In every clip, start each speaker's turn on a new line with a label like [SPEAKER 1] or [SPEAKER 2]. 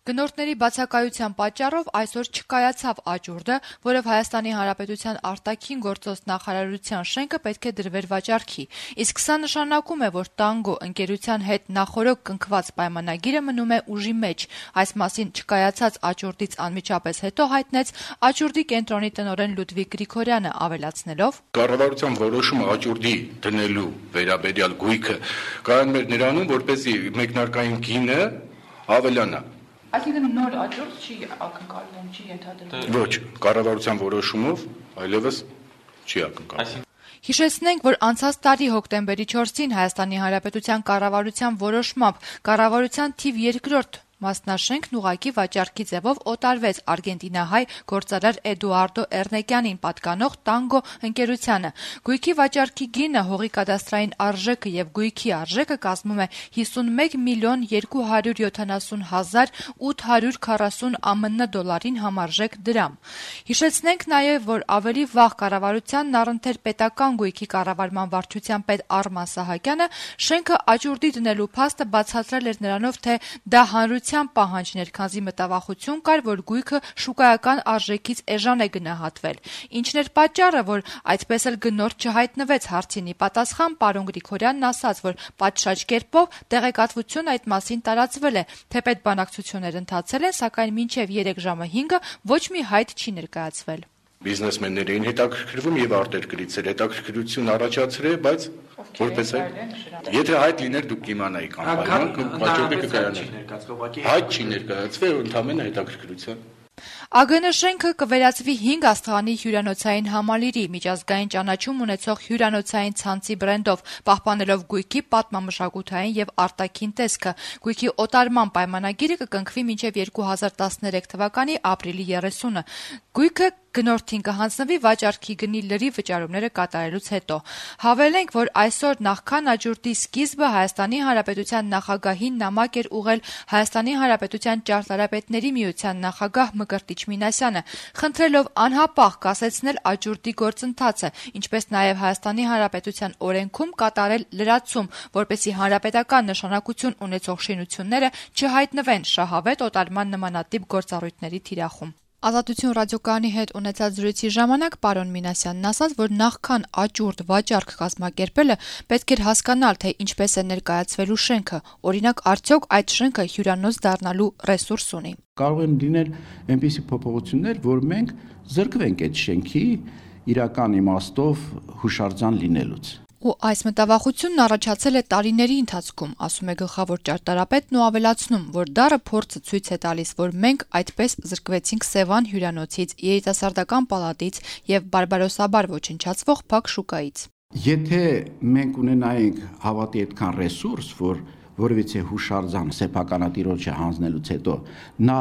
[SPEAKER 1] Գնորդների բացակայության պատճառով այսօր չկայացավ աճուրդը, որով Հայաստանի Հանրապետության արտաքին գործոս նախարարության շենքը պետք է դրվեր վաճառքի, իսկ սա նշանակում է, որ Տանգո ընկերության հետ նախօրոք կնքված պայմանագիրը մնում է ուժի մեջ, այս մասին չկայացած աճուրդից անմիջապես հետո հայտնեց աճուրդի կենտրոնի տնօրեն Լյուդվիգ Գրիգորյանը, ավելացնելով.
[SPEAKER 2] Կառավարության որոշումը աճուրդի դնելու վերաբերյալ գույքը կայանում էր նրանում, որպեսզի մեկնարկային գինը ավելանա։
[SPEAKER 1] Այսինքն նոր աճուրդ չի ակնկալվում, չի ենթադրվում։
[SPEAKER 2] Ոչ, կառավարության որոշումով այլևս չի ակնկալվում։
[SPEAKER 1] Հիշեցնենք, որ անցած տարի հոկտեմբերի 4-ին Հայաստանի Հանրապետության կառավարության որոշմամբ կառավարության թիվ 2-րդ մասնաշենքն ուղղակի վաճառքի ձևով օտարվեց արգենտինահայ գործարար Էդուարդո Էռնեկյանին պատկանող Տանգո ընկերությանը։ Գույքի վաճառքի գինը, հողի կադաստրային արժեքը եւ գույքի արժեքը կազմում է 51 միլիոն 270 հազար 840 ԱՄՆ դոլարին համարժեք դրամ։ Հիշեցնենք նաեւ, որ ավելի վաղ կառավարությանն առընթեր պետական գույքի կառավարման վարչության պետ Արման Սահակյանը շենքը աճուրդի դնելու փաստը բացատրել էր նրանով, թե դա հանրության պահանջներ, քանզի մտավախություն կար, որ գույքը շուկայական արժեքից էժան է գնահատվել։ Ինչն էր պատճառը, որ այդպես էլ գնորդ չհայտնվեց հարցինի պատասխան, պարոն Գրիգորյանն ասաց, որ պատշաճ կերպով տեղեկատվություն այդ մասին տարածվել է, թեպետ բանակցություններ ընթացել են, սակայն մինչև 3 ժամը 5-ը ոչ մի հայտ չի ներկայացվել։
[SPEAKER 2] Բիզնեսմեններ էին հետաքրքրվում եւ արտերկրից էր հետաքրքրություն առաջացրել, բայց որպես է, եթե հայտ լիներ դուք կիմանայիք անպայման, վաճառքը կկայանար։ Հայտ չի ներկայացվել, ընդհանրապես հետաքրքրության։
[SPEAKER 1] ԱԳՆ շենքը կվերածվի 5 աստղանի հյուրանոցային համալիրի, միջազգային ճանաչում ունեցող հյուրանոցային ցանցի բրենդով, պահպանելով գույքի պատմամշակութային եւ արտաքին տեսքը։ Գույքի օտարման պայմանագիրը կկնքվի մինչեւ 2013 թվականի ապրիլի 30-ը։ Գույքը գնորդին կհանձնվի վաճառքի գնի լրիվ վճարումները կատարելուց հետո։ Հավելենք, որ այսօր նախքան աճուրդի սկիզբը Հայաստանի Հանրապետության նախագահին նամակ էր ուղղել Հայաստանի Հանրապետության ճարտարապետների միության նախագահ Մկրտիչ Մինասյանը, խնդրելով անհապաղ կասեցնել աճուրդի գործընթացը, ինչպես նաև Հայաստանի Հանրապետության օրենքում կատարել լրացում, որպեսզի հանրապետական նշանակություն ունեցող շինությունները չհայտնվեն շահավետ օտարման նմանատիպ գործառույթների թիրախում։ Ազատություն ռադիոկայանի հետ ունեցած զրույցի ժամանակ պարոն Մինասյանն ասաց, որ նախքան աճուրդ վաճառք կազմակերպելը պետք էր հասկանալ, թե ինչպես է ներկայացվելու շենքը, օրինակ արդյոք այդ շենքը հյուրանոց դառնալու ռեսուրս ունի։
[SPEAKER 3] Կարող են լինել այնպիսի փոփոխություններ, որ մենք զրկվենք այդ շենքի իրական իմաստով հուշարձան լինելուց։
[SPEAKER 1] Ու այս մտավախությունն առաջացել է տարիների ընթացքում, ասում է գլխավոր ճարտարապետն ու ավելացնում, որ դառը փորձը ցույց է տալիս, որ մենք այդպես զրկվեցինք Սևան հյուրանոցից, երիտասարդական պալատից եւ բարբարոսաբար ոչնչացվող փակ շուկայից։
[SPEAKER 3] Եթե մենք ունենայինք հավատի այդքան ռեսուրս, որ որևիցե հուշարձան սեփականատիրոջը հանձնելուց հետո նա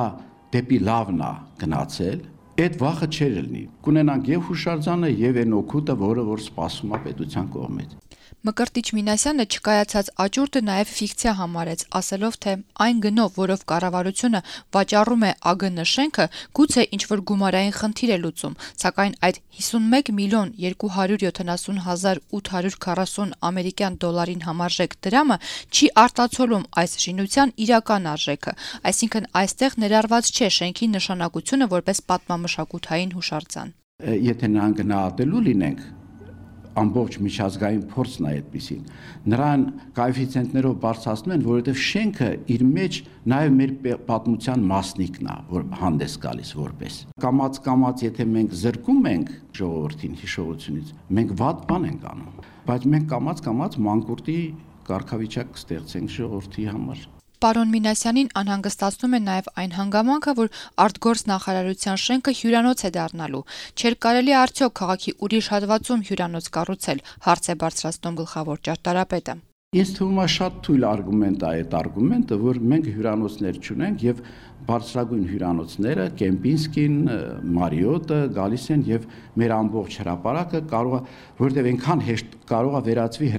[SPEAKER 3] դեպի լավն է գնացել, այդ վախը չէր լինի։ Կունենանք եւ հուշարձանը եւ այն օգուտը, որ սպասում է պետության կողմից։
[SPEAKER 1] Մկրտիչ Մինասյանը չկայացած աճուրդը նաև ֆիկցիա համարեց, ասելով, թե այն գնով, որով կառավարությունը վաճառում է ԱԳՆ շենքը, գուցե ինչ-որ գումարային խնդիր է լուծում, սակայն այդ 51 միլիոն 270 հազար 840 ամերիկյան դոլարին համարժեք դրամը չի արտացոլում այս շինության իրական արժեքը, այսինքն այստեղ ներառված չէ շենքի նշանակությունը որպես պատմամշակութային հուշարձան։
[SPEAKER 3] Եթե նրան գնահատելու լինենք, ամբողջ միջազգային փորձն է այդպեսին։ Նրան կոեֆիցիենտներով բարձրացնում են, որովհետև շենքը իր մեջ նաև մեր պատմության մասնիկն է, որ հանդես գալիս որպես։ Կամաց, եթե մենք զրկում ենք ժողովրդին հիշողությունից, մենք վատ բան ենք անում, բայց մենք կամաց մանկուրտի կարգավիճակ կստեղծենք ժողովրդի համար։
[SPEAKER 1] Պարոն Մինասյանին անհանգստացնում է նաև այն հանգամանքը, որ արտգործ նախարարության շենքը հյուրանոց է դառնալու։ Չէր կարելի արդյոք քաղաքի ուրիշ հատվածում հյուրանոց կառուցել, հարց է բարձրացնում գլխավոր ճարտարապետը։
[SPEAKER 3] Ինձ թվում է շատ թույլ արգումենտ է այդ արգումենտը, որ մենք հյուրանոցներ չունենք եւ բարձրագույն հյուրանոցները, Կեմպինսկին, Մարիոտը գալիս են եւ մեր ամբողջ հրապարակը կարող է, որովհետեւ այնքան հեշտ կարող է վերածվի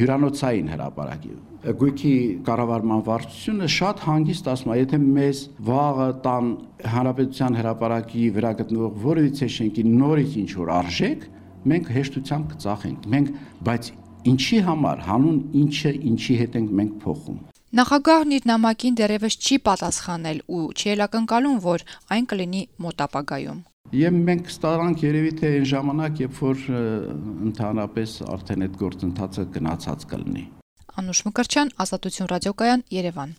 [SPEAKER 3] հյուրանոցային հրապարակի։ Գույքի կառավարման վարչությունը շատ հանգիստ ասում է, եթե մեզ վաղը տան հանրապետության հրապարակի վրա գտնվող որևիցե շենքի նորից ինչ որ արժեք, մենք հեշտությամբ կծախենք։ Բայց ինչի համար, հանուն ինչի հետ ենք մենք փոխում։
[SPEAKER 1] Նախագահն իր նամակին դեռևս չի պատասխանել ու չի էլ ակնկալում, որ այն կլինի մոտ ապագայում։
[SPEAKER 3] Եվ մենք ստարանք երևի թե այն ժամանակ, երբ որ ընդհանրապես արդեն այդ գործընթացը գնացած կլինի։
[SPEAKER 1] Անուշ Մկրտչյան, Ազատություն ռադիոկայան, Երևան։